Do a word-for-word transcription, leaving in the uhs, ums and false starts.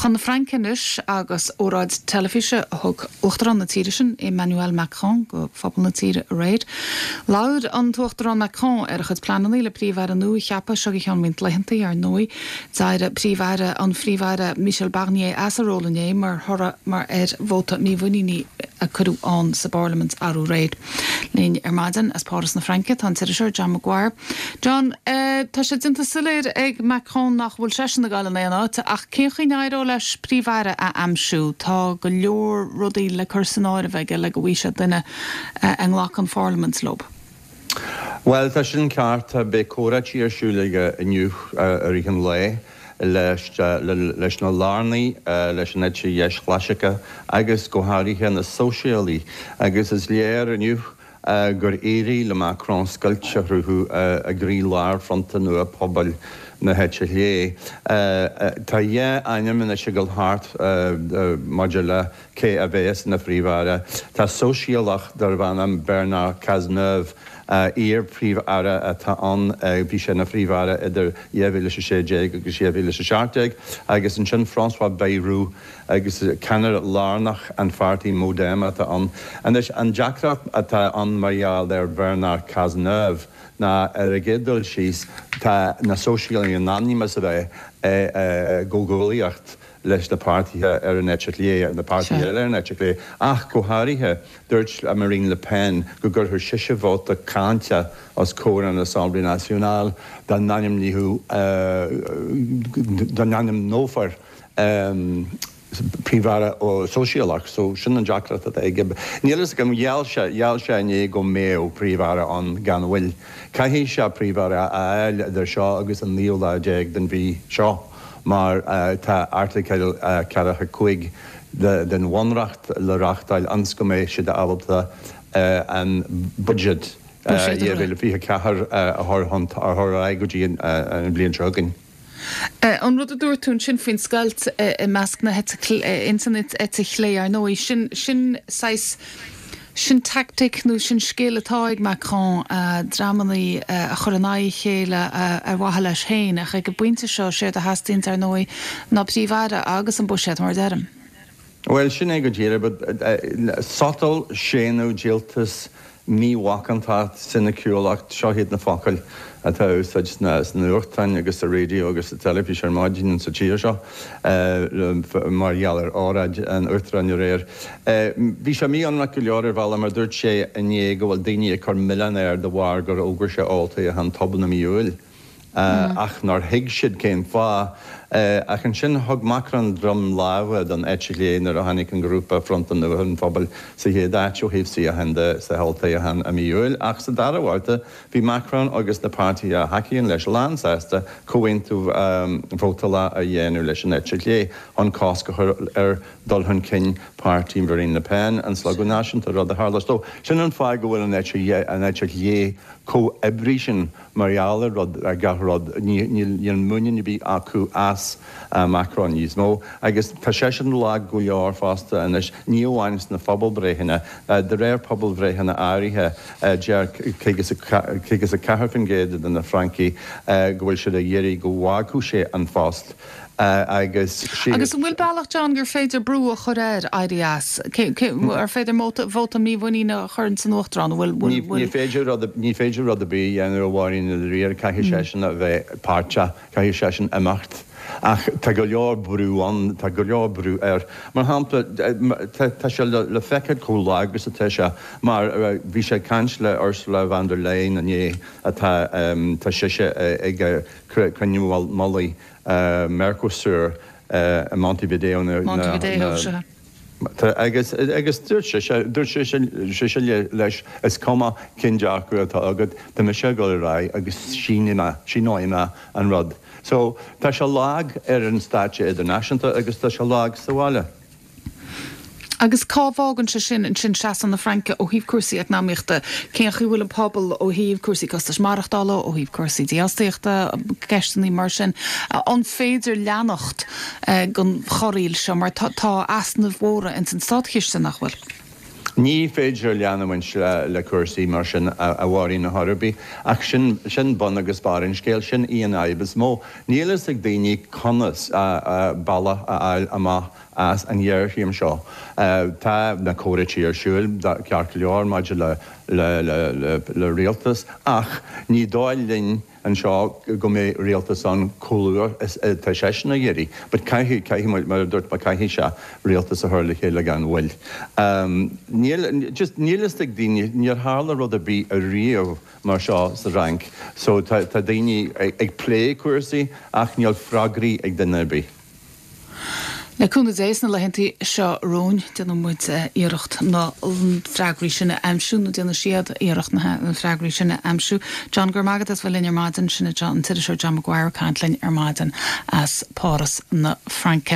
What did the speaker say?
Chun na Fraince anois agus óráid teilifíse a thug Uachtarán na tíre sin Emmanuel Macron go phobal na tíre aréir. Labhair an tUachtarán Macron ar a chuid pleananna le príomh-aire nua a cheapadh seo i gceann roinnt laethanta ar ndóigh. D'éirigh príomh-aire an phríomh-aire Michel Barnier as a ról inné mar thoradh mar ar vóta mímhuiníne a cuireadh ann sa bparlaimint aréir. Linn ar maidin as Páras na Fraince tá an t-iriseoir John Maguire. John uh, tá sé déanta soiléir ag Macron nach bhfuil seisean ag gabháil in aon áit ach cén chaoi a n-éireoidh leis príomh-aire a aimsiú tá go leor rudaí le cur san áireamh aige le go bhfaighidh sé duine uh, a nglacann an pharlaimint leo. Well tá sin ceart beidh comhráití ar siúl aige inniu i rith an lae leis leis na lárnaigh leis an eite dheis chlasaiceach agus go háirithe na sóisialaigh agus is léir inniu gur éirigh le Macron scoilt a chruthú i gcroílár Fronta Nua Pobail na heite clé. Tá dhá ainm anois ag dul thart maidir le cé a bheas ina phríomh-aire. Tá sóisialach darb ainm Bernard Cazeneuve iar-phríomh-aire atá ann bhí sé ina phríomh-aire idir dhá mhíle sé déag agus dhá mhíle seacht déag agus ansin François Bayrou agus ceannaire lárnach an pháirtí Modem atá ann. Anois an deacracht atá ann mar gheall ar Bernard Cazeneuve ná ar a gcéad dul síos tá na sóisialaigh in ainm is a bheith i gcomhghuaillíocht leis na páirtithe ar an eite chlé na páirtithe eile ar an eite chlé ach go háirithe dúirt Marine Le Pen go gcuirfeadh sise vóta cáinte os comhair an Assemblée Nationale dá n-ainmneofaí dá n-ainmneofar príomh-aire sóisialach, so sin an deacracht atá aige. Níl go gheall sé gheall sé inné go mbeadh príomh-aire ann gan mhoill. Caithfidh sé príomh-aire a fháil idir seo agus an naoú lá déag den mhí seo mar tá Airteagal ceathracha cúig den bhunreacht le reachtáil ionas go mbeidh siad ábalta an budget dhá mhíle fiche ceathair a chur ar aghaidh go dtí an bhliain seo chugainn. An rud a dúirt tú sin faoin scoilt i measc na insan eite chlé ar ndóigh sin sin saghas sin tactic nó sin scil atá ag Macron dreamanna a chur in aghaidh a chéile ar mhaithe leis féin ach ag an bpointe seo sé a theastaíonn ar ndóigh ná príomh-aire agus an buiséad mar deirim. Well sin é go díreach, but sotal séanadh díoltas mímhacántacht soiniciúlacht seo iad na focail atá úsáid sna nuachtáin agus sa raidió agus sa teilifís ar maidin sa tír seo mar gheall ar óráid an uachtaráin aréir. Bhí sé mí-ionraic go leor ar bhealach mar dúirt sé inné go bhfuil daoine ag cur milleán air de bharr gur fhógair sé olltoghchán tobann i mí Iúil. ach nár thuig siad cén fáth. Ach ansin thug Macron droim láimhe don eite chlé nuair a tháinig an grúpa Fronta Nua an Phobail sa chéad áit ó thaobh suíochán de sa olltoghchán i mí Iúil. Ach sa dara babhta bhí Macron agus na páirtithe a thacaíonn leis lánsásta comhaontú vótála a dhéanamh leis an eite chlé chun cosc a chur ar dul chun cinn páirtí Marine Le Pen an Slógadh Náisiúnta rud a tharla. So sin an fáth go bhfuil an eite chlé comhoibrí sin mar gheall ar rud ar gach rud níl muinín ar bith acu as Macron níos mó agus tá seisean lag go leor fosta anois ní amháin sna pobalbhreitheanna de réir pobalbhreitheanna áirithe deir caoga a ceathair faoin gcéad de na Francaigh go bhfuil siad ag iarraidh go bhfágfadh sé an post agus Agus an bhfuil bealach John gur féidir brú a chur air éirí as ar féidir vóta mímhuiníne a chur san uachtarán bhfuil Ní féidir ní féidir rud ar bith a dhéanamh a Mháirín i ndáiríre caithfidh seisean a bheith páirteach caithfidh seisean imeacht. Ach tá go leor brú ann tá go leor brú air. Mar shampla tá sé le feiceáil chomh lag agus atá sé mar bhí sé ag caint le Ursula von der Leyen inné atá tá sise ag cruinniú mullaigh Mercosur i Montevideo Montevideo agus agus dúirt sé dúirt sé leis is cuma cén dearcadh atá agat tá mise ag dul ar aghaidh agus síneoidh síneoidh mé an rud. So tá sé lag ar an stáitse idirnáisiúnta agus tá sé lag sa bhaile. Agus cá bhfágann sé sin ansin seasamh na Fraince ó thaobh cúrsaí eacnamaíochta, cén chaoi bhfuil an pobal ó thaobh cúrsaí costais maireachtála, ó thaobh cúrsaí dífhostaíochta, ceisteanna mar sin, an féidir leanacht den chorraíl seo mar tá easnaimh mhóra ins an státchiste nach bhfuil? Ní féidir leanúint le, le cúrsaí mar sin a, a mhaíonn na hArabí, ach sin, sin bun agus barr an scéil sin í an fhadhb is mó. Níl fhios ag daoine conas bealach a fháil amach as an ghéarchéim seo. Uh, tá na comhráití ar siúl ceart go leor maidir le, le, le, le, le rialtas ach ní dóigh linn anseo go mbeidh rialtas ann chomh luath is tá seisean ag iarraidh, but caithfidh caithfidh mar dúirt ma caithfidh sé rialtas a chur le chéile gan mhoill. Um, níl just níl fhios ag daoine níor tharla rud ar bith ariamh mar seo sa Fhrainc, so tá, tá daoine ag, ag plé cúrsaí ach níl freagraí ag duine ar bith. Le cúnamh Dé sna laethanta seo romhainn déanfaidh muid iarracht na freagraí sin a aimsiú nó déanfaidh siad iarracht na freagraí sin a aimsiú. John gur magad as bhfuil linn ar maidin sin John an t-iriseoir John Maguire caint linn ar maidin as Páras na Fraince.